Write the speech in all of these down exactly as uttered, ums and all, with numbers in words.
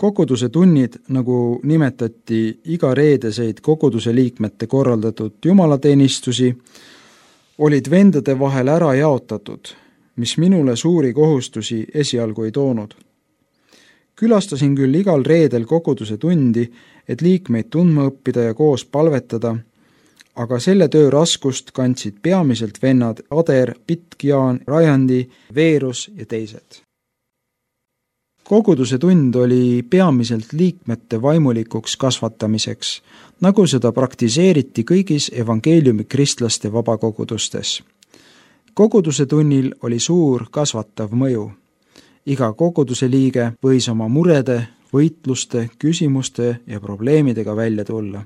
Koguduse tunnid, nagu nimetati iga reedeseid koguduse liikmete korraldatud jumalateenistusi, olid vendade vahel ära jaotatud, mis minule suuri kohustusi esialgu ei toonud. Külastasin küll igal reedel koguduse tundi, et liikmeid tundma õppida ja koos palvetada, aga selle töö raskust kandsid peamiselt vennad Ader, Pitkiaan, Rajandi, Veerus ja teised. Koguduse tund oli peamiselt liikmete vaimulikuks kasvatamiseks, nagu seda praktiseeriti kõigis evangeeliumi kristlaste vabakogudustes. Koguduse tunnil oli suur kasvatav mõju. Iga koguduse liige võis oma murede, võitluste, küsimuste ja probleemidega välja tulla.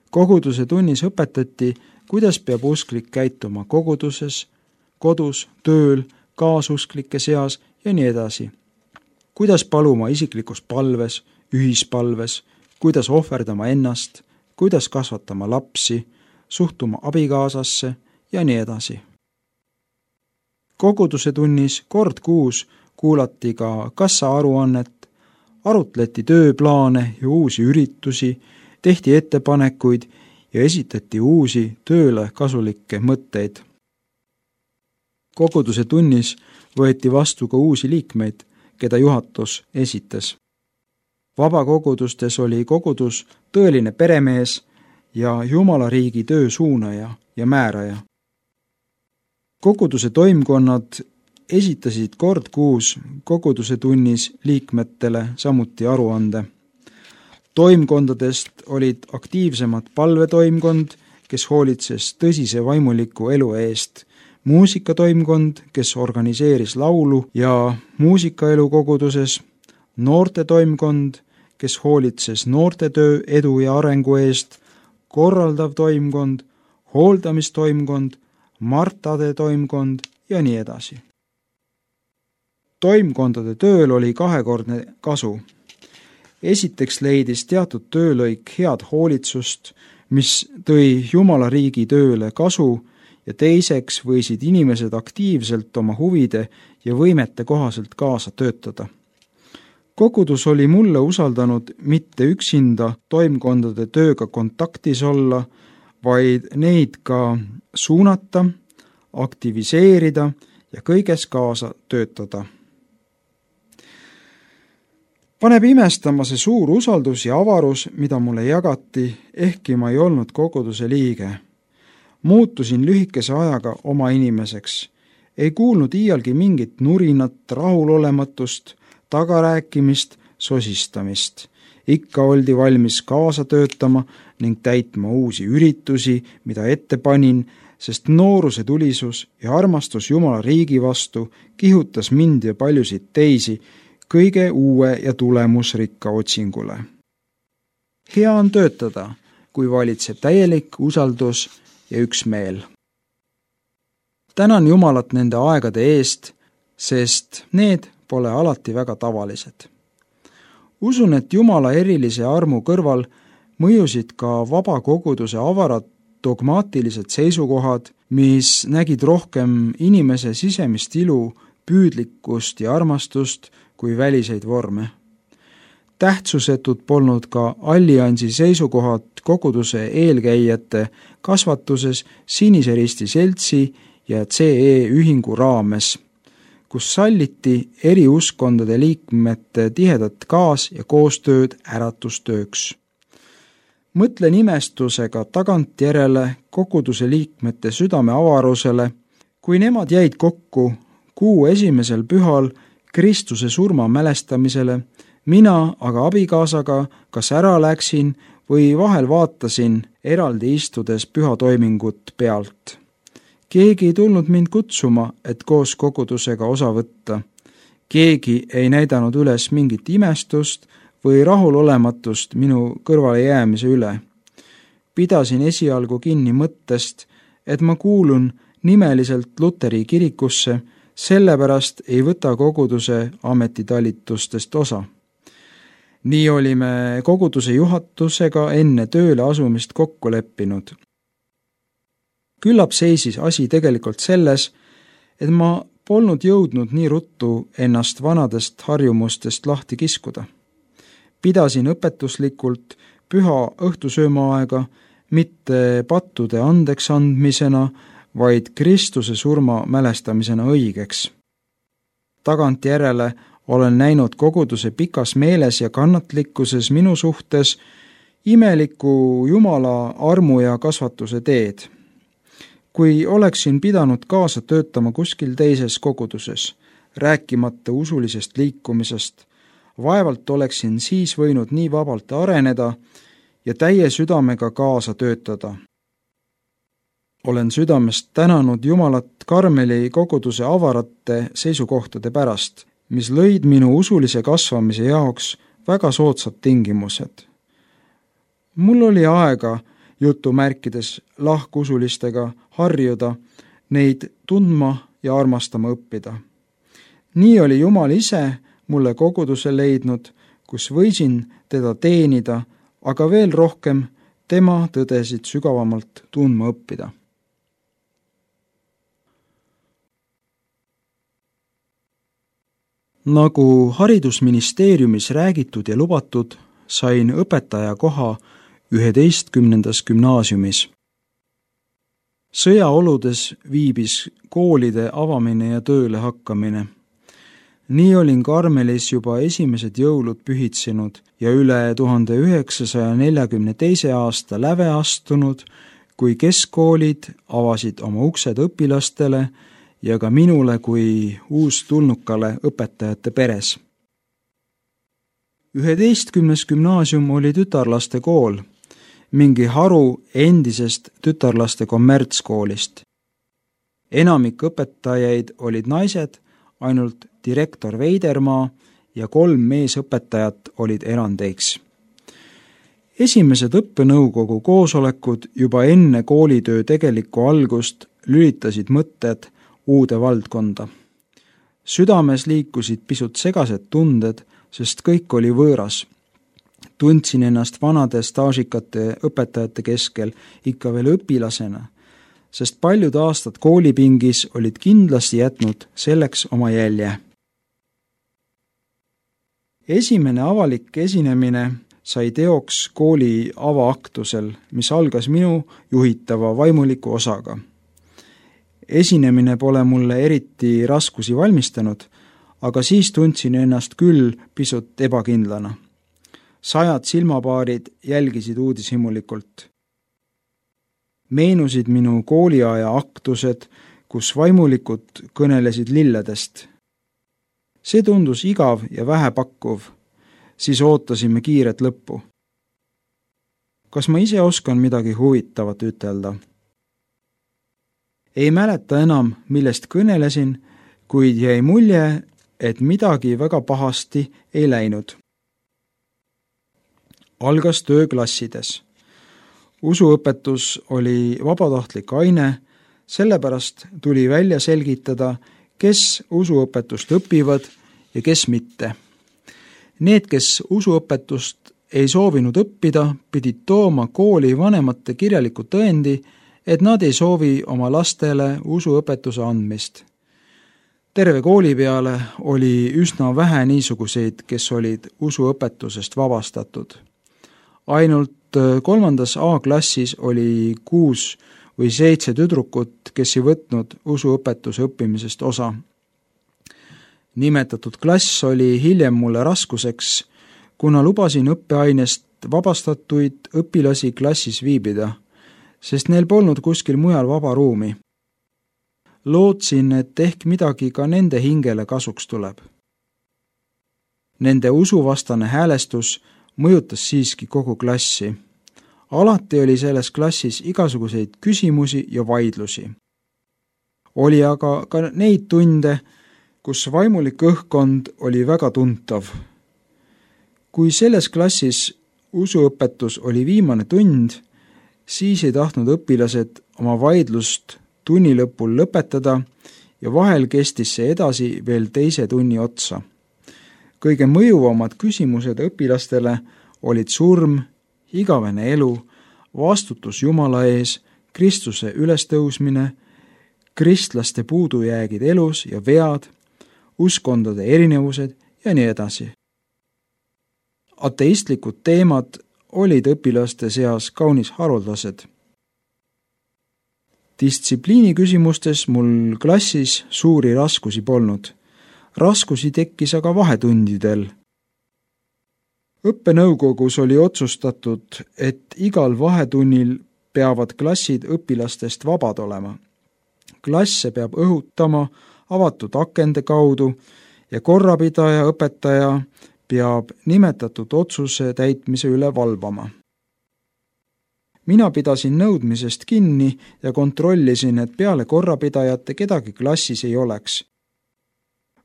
Koguduse tunnis õpetati, kuidas peab usklik käituma koguduses, kodus, tööl, kaasusklike seas ja nii edasi. Kuidas paluma isiklikus palves, ühispalves, kuidas ohverdama ennast, kuidas kasvatama lapsi, suhtuma abikaasasse ja nii edasi. Koguduse tunnis kord kuus kuulati ka kassa-aruannet, arutleti tööplaane ja uusi üritusi, tehti ettepanekuid ja esitati uusi tööle kasulikke mõtteid. Koguduse tunnis võeti vastu ka uusi liikmeid, keda juhatus esitas. Vabakogudustes oli kogudus tõeline peremees ja Jumala riigi töö suunaja ja määraja. Koguduse toimkonnad esitasid kord kuus koguduse tunnis liikmetele samuti aruande. Toimkondadest olid aktiivsemad palvetoimkond, kes hoolitses tõsise vaimuliku elu eest, muusikatoimkond, kes organiseeris laulu ja muusikaelu koguduses, noortetoimkond, kes hoolitses noortetöö edu ja arengu eest, korraldav toimkond, hooldamistoimkond, Martade toimkond ja nii edasi. Toimkondade tööl oli kahekordne kasu. Esiteks leidis teatud töölõik head hoolitsust, mis tõi Jumala riigi tööle kasu, ja teiseks võisid inimesed aktiivselt oma huvide ja võimete kohaselt kaasa töötada. Kogudus oli mulle usaldanud mitte üksinda toimkondade tööga kontaktis olla, vaid neid ka suunata, aktiviseerida ja kõiges kaasa töötada. Paneb imestama see suur usaldus ja avarus, mida mulle jagati, ehkki ma ei olnud koguduse liige. Muutusin lühikese ajaga oma inimeseks. Ei kuulnud iialgi mingit nurinat, rahulolematust, tagarääkimist, sosistamist. Ikka oldi valmis kaasa töötama ning täitma uusi üritusi, mida ette panin, sest nooruse tulisus ja armastus Jumala riigi vastu kihutas mind ja paljusid teisi kõige uue ja tulemusrikka otsingule. Hea on töötada, kui valitseb täielik usaldus ja üksmeel. Tänan Jumalat nende aegade eest, sest need pole alati väga tavalised. Usun, et Jumala erilise armu kõrval mõjusid ka vabakoguduse avarad dogmaatilised seisukohad, mis nägid rohkem inimese sisemist ilu, püüdlikkust ja armastust kui väliseid vorme. Tähtsusetud polnud ka alliansi seisukohad koguduse eelkäijate kasvatuses Sinise Risti seltsi ja C E ühingu raames, kus salliti eri uskondade liikmete tihedat kaas- ja koostööd äratustööks. Mõtlen imestusega tagantjärele koguduse liikmete südame avarusele, kui nemad jäid kokku kuu esimesel pühal Kristuse surma mälestamisele, mina aga abikaasaga kas ära läksin või vahel vaatasin eraldi istudes pühatoimingut pealt. Keegi ei tulnud mind kutsuma, et koos kogudusega osa võtta. Keegi ei näidanud üles mingit imestust või rahulolematust minu kõrvale jäämise üle. Pidasin esialgu kinni mõttest, et ma kuulun nimeliselt Luteri kirikusse, sellepärast ei võta koguduse ametitalitustest osa. Nii olime koguduse juhatusega enne tööle asumist kokku leppinud. Küllap seisis asi tegelikult selles, et ma polnud jõudnud nii ruttu ennast vanadest harjumustest lahti kiskuda. Pidasin õpetuslikult püha õhtusöömaaega mitte pattude andeks andmisena, vaid Kristuse surma mälestamisena õigeks. Tagantjärele olen näinud koguduse pikas meeles ja kannatlikkuses minu suhtes imeliku Jumala armu ja kasvatuse teed. Kui oleksin pidanud kaasa töötama kuskil teises koguduses, rääkimata usulisest liikumisest, vaevalt oleksin siis võinud nii vabalt areneda ja täie südamega kaasa töötada. Olen südamest tänanud Jumalat Karmeli koguduse avarate seisukohtade pärast, mis lõid minu usulise kasvamise jaoks väga soodsad tingimused. Mul oli aega jutumärkides lahkusulistega harjuda, neid tundma ja armastama õppida. Nii oli Jumal ise mulle koguduse leidnud, kus võisin teda teenida, aga veel rohkem tema tõdesid sügavamalt tundma õppida. Nagu haridusministeeriumis räägitud ja lubatud, sain õpetaja koha üheteistkümnendas gümnaasiumis. Sõjaoludes viibis koolide avamine ja tööle hakkamine. Nii olin Karmelis juba esimesed jõulud pühitsinud ja üle tuhande üheksasaja neljakümne teise aasta läve astunud, kui keskkoolid avasid oma uksed õpilastele ja ka minule kui uustulnukale õpetajate peres. üheteistkümnes gümnaasium oli tütarlaste kool, mingi haru endisest tütarlaste kommertskoolist. Enamik õpetajaid olid naised, ainult direktor Veidermaa ja kolm meesõpetajat olid erandeiks. Esimesed õppenõukogu koosolekud juba enne koolitöö tegelikku algust lülitasid mõtted uude valdkonda. Südames liikusid pisut segased tunded, sest kõik oli võõras. Tundsin ennast vanade staažikate õpetajate keskel ikka veel õpilasena, sest paljud aastad koolipingis olid kindlasti jätnud selleks oma jälje. Esimene avalik esinemine sai teoks kooli avaaktusel, mis algas minu juhitava vaimuliku osaga. Esinemine pole mulle eriti raskusi valmistanud, aga siis tundsin ennast küll pisut ebakindlana. Sajad silmapaarid jälgisid uudishimulikult. Meenusid minu kooliaja aktused, kus vaimulikud kõnelesid lilledest. See tundus igav ja vähepakkuv, siis ootasime kiiret lõppu. Kas ma ise oskan midagi huvitavat ütelda? Ei mäleta enam, millest kõnelesin, kuid jäi mulje, et midagi väga pahasti ei läinud. Algas töö klassides. Usuõpetus oli vabatahtlik aine, sellepärast tuli välja selgitada, kes usuõpetust õpivad ja kes mitte. Need, kes usuõpetust ei soovinud õppida, pidid tooma kooli vanemate kirjaliku tõendi, et nad ei soovi oma lastele usuõpetuse andmist. Terve kooli peale oli üsna vähe niisuguseid, kes olid usuõpetusest vabastatud. Ainult kolmandas A-klassis oli kuus või seitse tüdrukut, kes ei võtnud usuõpetuse õppimisest osa. Nimetatud klass oli hiljem mulle raskuseks, kuna lubasin õppeainest vabastatuid õpilasi klassis viibida, sest neil polnud kuskil mujal vaba ruumi. Lootsin, et ehk midagi ka nende hingele kasuks tuleb. Nende usuvastane häälestus mõjutas siiski kogu klassi. Alati oli selles klassis igasuguseid küsimusi ja vaidlusi. Oli aga ka neid tunde, kus vaimulik õhkkond oli väga tuntav. Kui selles klassis usuõpetus oli viimane tund, siis ei tahtnud õpilased oma vaidlust tunni lõpul lõpetada ja vahel kestis see edasi veel teise tunni otsa. Kõige mõjuvamad küsimused õpilastele olid surm, igavene elu, vastutus Jumala ees, Kristuse ülestõusmine, kristlaste puudujäägid elus ja vead, uskondade erinevused ja nii edasi. Ateistlikud teemad olid õpilaste seas kaunis haruldased. Distsipliini küsimustes mul klassis suuri raskusi polnud. Raskusi tekkis aga vahetundidel. Õppenõukogus oli otsustatud, et igal vahetunnil peavad klassid õpilastest vabad olema. Klasse peab õhutama avatud akende kaudu ja korrapidaja õpetaja peab nimetatud otsuse täitmise üle valvama. Mina pidasin nõudmisest kinni ja kontrollisin, et peale korrapidajate kedagi klassis ei oleks.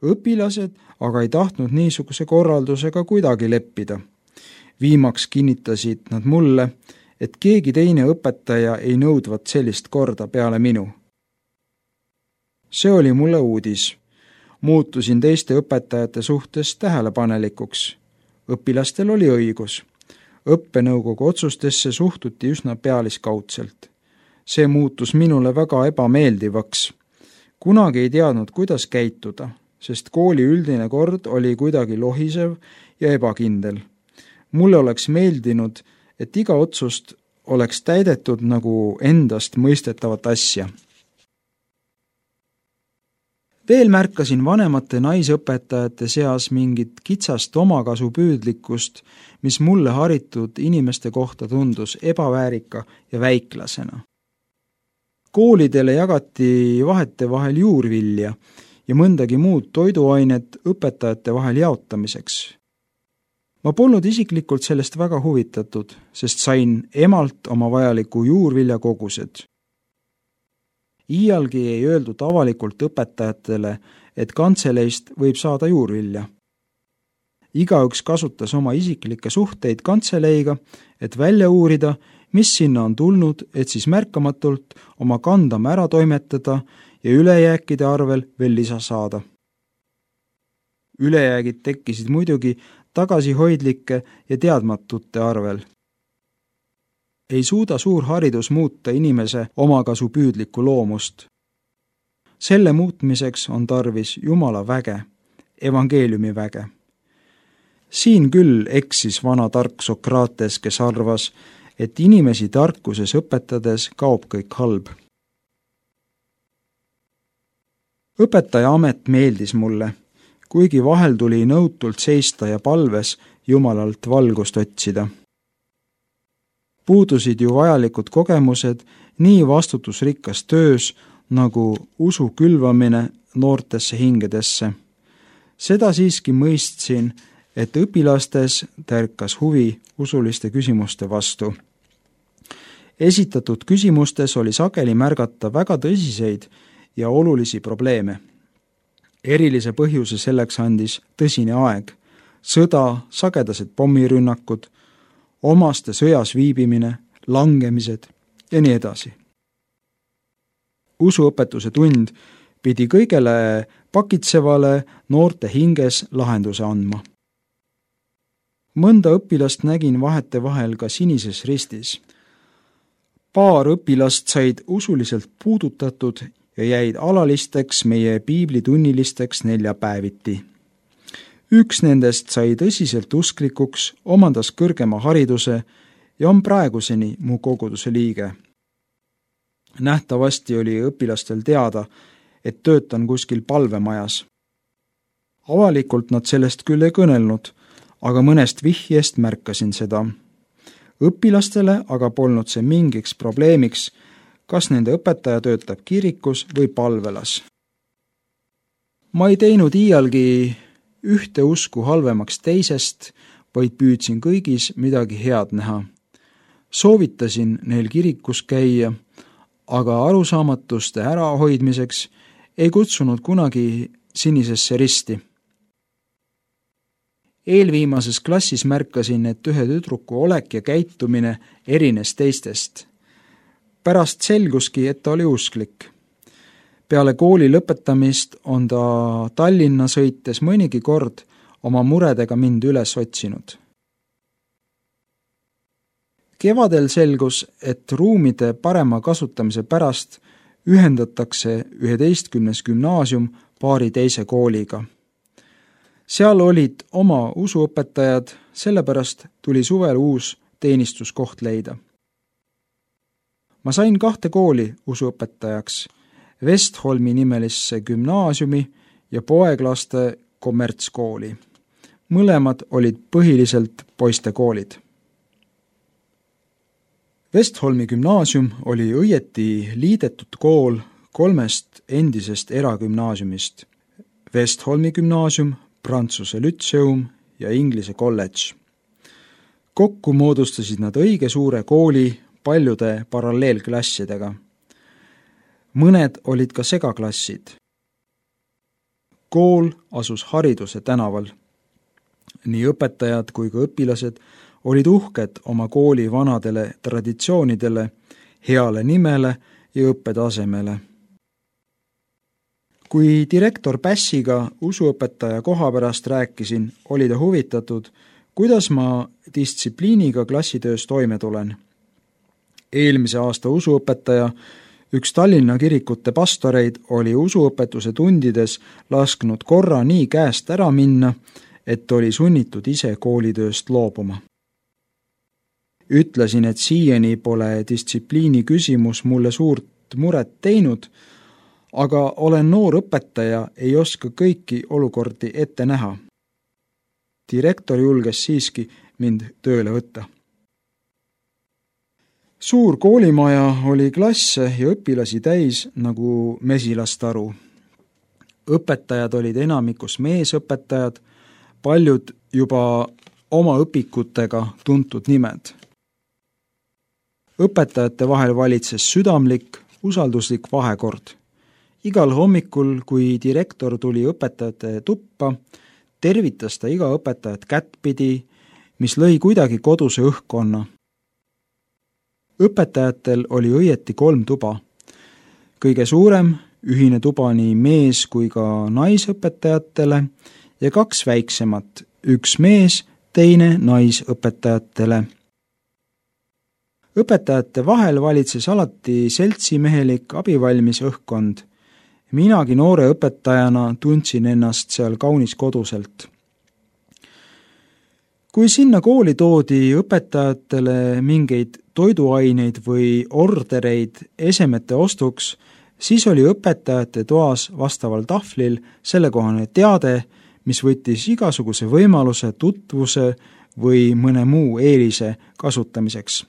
Õpilased aga ei tahtnud niisuguse korraldusega kuidagi leppida. Viimaks kinnitasid nad mulle, et keegi teine õpetaja ei nõudvat sellist korda peale minu. See oli mulle uudis. Muutusin teiste õpetajate suhtes tähelepanelikuks. Õpilastel oli õigus. Õppenõukogu otsustesse suhtuti üsna pealiskaudselt. See muutus minule väga ebameeldivaks. Kunagi ei teadnud, kuidas käituda, sest kooli üldine kord oli kuidagi lohisev ja ebakindel. Mulle oleks meeldinud, et iga otsust oleks täidetud nagu endast mõistetavat asja. Veel märkasin vanemate naisõpetajate seas mingit kitsast omakasupüüdlikkust, mis mulle haritud inimeste kohta tundus ebaväärika ja väiklasena. Koolidele jagati vahete vahel juurvilja ja mõndagi muud toiduainet õpetajate vahel jaotamiseks. Ma polnud isiklikult sellest väga huvitatud, sest sain emalt oma vajaliku juurvilja kogused. Iialgi ei öeldud avalikult õpetajatele, et kantseleist võib saada juurvilja. Igaüks kasutas oma isiklikke suhteid kantseleiga, et välja uurida, mis sinna on tulnud, et siis märkamatult oma kandama ära toimetada ja ülejääkide arvel veel lisa saada. Ülejäägid tekkisid muidugi tagasihoidlike ja teadmatute arvel. Ei suuda suur haridus muuta inimese omakasupüüdlikku loomust. Selle muutmiseks on tarvis Jumala väge, evangeeliumi väge. Siin küll eksis vana tark Sokrates, kes arvas, et inimesi tarkuses õpetades kaob kõik halb. Õpetaja amet meeldis mulle, kuigi vahel tuli nõutult seista ja palves Jumalalt valgust otsida. Puudusid ju vajalikud kogemused nii vastutusrikkas töös nagu usu külvamine noortesse hingedesse. Seda siiski mõistsin, et õpilastes tärkas huvi usuliste küsimuste vastu. Esitatud küsimustes oli sageli märgata väga tõsiseid ja olulisi probleeme. Erilise põhjuse selleks andis tõsine aeg, sõda, sagedased pommirünnakud, omaste sõjas viibimine, langemised ja nii edasi. Usuõpetuse tund pidi kõigele pakitsevale noorte hinges lahenduse andma. Mõnda õpilast nägin vahete vahel ka Sinises Ristis. Paar õpilast said usuliselt puudutatud ja jäid alalisteks meie piiblitunnilisteks neljapäeviti. Üks nendest sai tõsiselt usklikuks, omandas kõrgema hariduse ja on praeguseni mu koguduse liige. Nähtavasti oli õpilastel teada, et töötan kuskil palvemajas. Avalikult nad sellest küll ei kõnelnud, aga mõnest vihjest märkasin seda. Õpilastele aga polnud see mingiks probleemiks, kas nende õpetaja töötab kirikus või palvelas. Ma ei teinud iialgi ühte usku halvemaks teisest, vaid püüdsin kõigis midagi head näha. Soovitasin neil kirikus käia, aga arusaamatuste ärahoidmiseks ei kutsunud kunagi Sinisesse Risti. Eelviimases klassis märkasin, et ühe tüdruku olek ja käitumine erines teistest. Pärast selguski, et ta oli usklik. Peale kooli lõpetamist on ta Tallinna sõites mõnigi kord oma muredega mind üles otsinud. Kevadel selgus, et ruumide parema kasutamise pärast ühendatakse üheteistkümnes gümnaasium paari teise kooliga. Seal olid oma usuõpetajad, sellepärast tuli suvel uus teenistuskoht leida. Ma sain kahte kooli usuõpetajaks, Westholmi nimelisse gümnaasiumi ja poeglaste kommertskooli. Mõlemad olid põhiliselt poistekoolid. Westholmi gümnaasium oli õieti liidetud kool kolmest endisest eragümnaasiumist. Westholmi gümnaasium, Prantsuse lütseum ja Inglise kolledž. Kokku moodustasid nad õige suure kooli paljude paralleelklassidega. Mõned olid ka segaklassid. Kool asus Hariduse tänaval. Nii õpetajad kui ka õpilased olid uhked oma kooli vanadele traditsioonidele, heale nimele ja õppetasemele. Kui direktor Pässiga usuõpetaja koha pärast rääkisin, oli ta huvitatud, kuidas ma distsipliiniga klassitöös toime tulen. Eelmise aasta usuõpetaja, üks Tallinna kirikute pastoreid, oli usuõpetuse tundides lasknud korra nii käest ära minna, et oli sunnitud ise koolitööst loobuma. Ütlesin, et siiani pole distsipliini küsimus mulle suurt muret teinud, aga olen noor õpetaja, ei oska kõiki olukordi ette näha. Direktor julges siiski mind tööle võtta. Suur koolimaja oli klasse ja õpilasi täis nagu mesilastaru. Õpetajad olid enamikus meesõpetajad, paljud juba oma õpikutega tuntud nimed. Õpetajate vahel valitses südamlik, usalduslik vahekord. Igal hommikul, kui direktor tuli õpetajate tuppa, tervitas ta iga õpetajat kättpidi, mis lõi kuidagi koduse õhkkonna. Õpetajatel oli õieti kolm tuba. Kõige suurem, ühine tuba nii mees kui ka naisõpetajatele ja kaks väiksemat, üks mees, teine naisõpetajatele. Õpetajate vahel valitses alati seltsimehelik abivalmis õhkkond. Minagi noore õpetajana tundsin ennast seal kaunis koduselt. Kui sinna kooli toodi õpetajatele mingeid toiduaineid või ordereid esemete ostuks, siis oli õpetajate toas vastaval tahvlil sellekohane teade, mis võttis igasuguse võimaluse, tutvuse või mõne muu eelise kasutamiseks.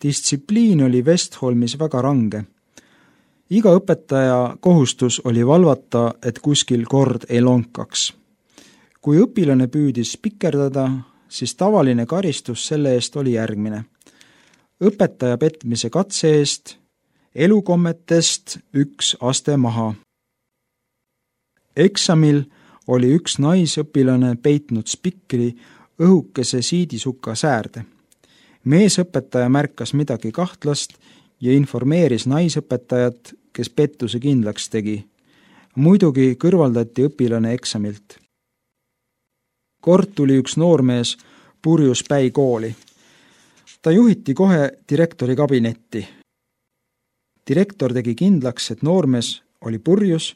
Distsipliin oli Westholmis väga range. Iga õpetaja kohustus oli valvata, et kuskil kord ei lonkaks. Kui õpilane püüdis pikerdada, siis tavaline karistus selle eest oli järgmine. Õpetaja petmise katse eest, elukommetest üks aste maha. Eksamil oli üks naisõpilane peitnud spikri õhukese siidisuka säärde. Meesõpetaja märkas midagi kahtlast ja informeeris naisõpetajat, kes pettuse kindlaks tegi. Muidugi kõrvaldati õpilane eksamilt. Kord tuli üks noormees purjus päi kooli. Ta juhiti kohe direktori kabinetti. Direktor tegi kindlaks, et noormees oli purjus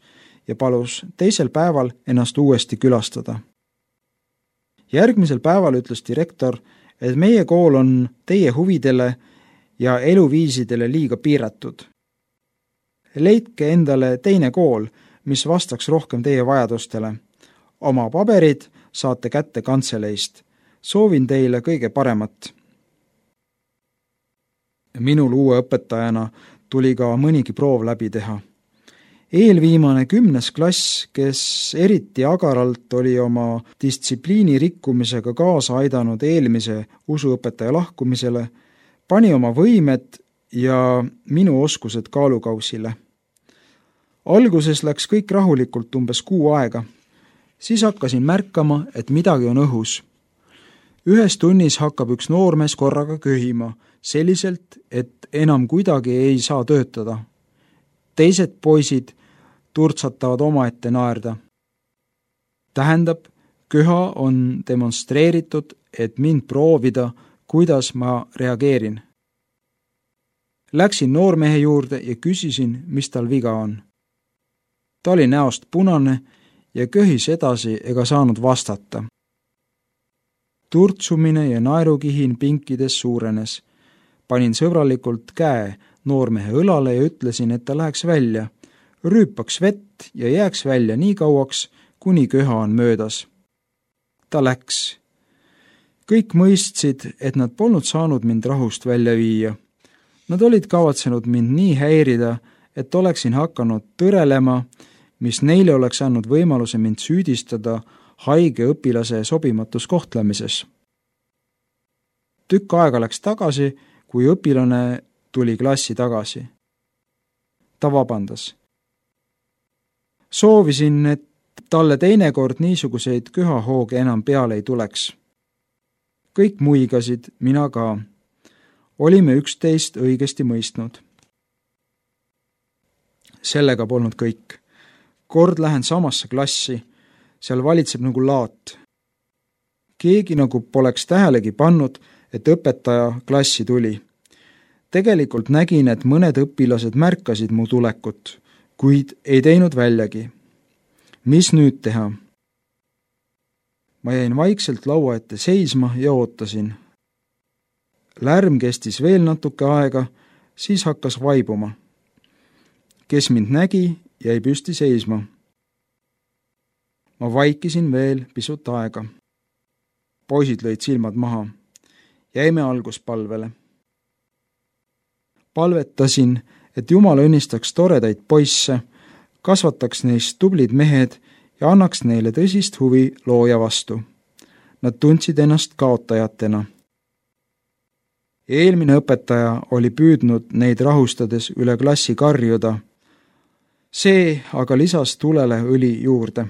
ja palus teisel päeval ennast uuesti külastada. Järgmisel päeval ütles direktor, et meie kool on teie huvidele ja eluviisidele liiga piiratud. Leidke endale teine kool, mis vastaks rohkem teie vajadustele. Oma paberid saate kätte kantseleist. Soovin teile kõige paremat. Minul uue õpetajana tuli ka mõnigi proov läbi teha. Eelviimane kümnes klass, kes eriti agaralt oli oma distsipliini rikkumisega kaasa aidanud eelmise usuõpetaja lahkumisele, pani oma võimed ja minu oskused kaalukausile. Alguses läks kõik rahulikult umbes kuu aega. Siis hakkasin märkama, et midagi on õhus. Ühes tunnis hakkab üks noormees korraga köhima, selliselt, et enam kuidagi ei saa töötada. Teised poisid turtsatavad omaette naerda. Tähendab, köha on demonstreeritud, et mind proovida, kuidas ma reageerin. Läksin noormehe juurde ja küsisin, mis tal viga on. Ta oli näost punane ja köhis edasi ega saanud vastata. Turtsumine ja naerukihin pinkides suurenes. Panin sõbralikult käe noormehe õlale ja ütlesin, et ta läheks välja, rüüpaks vett ja jääks välja nii kauaks, kuni köha on möödas. Ta läks. Kõik mõistsid, et nad polnud saanud mind rahust välja viia. Nad olid kavatsenud mind nii häirida, et oleksin hakanud tõrelema, mis neile oleks andnud võimaluse mind süüdistada haige õpilase sobimatus kohtlemises. Tükk aega läks tagasi, kui õpilane tuli klassi tagasi. Ta vabandas. Soovisin, et talle teinekord niisuguseid köhahooge enam peale ei tuleks. Kõik muigasid, mina ka. Olime üksteist õigesti mõistnud. Sellega polnud kõik. Kord lähen samasse klassi, seal valitseb nagu laat. Keegi nagu poleks tähelegi pannud, et õpetaja klassi tuli. Tegelikult nägin, et mõned õpilased märkasid mu tulekut, kuid ei teinud väljagi. Mis nüüd teha? Ma jäin vaikselt laua ette seisma ja ootasin. Lärm kestis veel natuke aega, siis hakkas vaibuma. Kes mind nägi, jäi püsti seisma. Ma vaikisin veel pisut aega. Poisid lõid silmad maha. Jäime alguspalvele. Palvetasin, et Jumal õnnistaks toredaid poisse, kasvataks neist tublid mehed ja annaks neile tõsist huvi looja vastu. Nad tundsid ennast kaotajatena. Eelmine õpetaja oli püüdnud neid rahustades üle klassi karjuda. See aga lisas tulele õli juurde.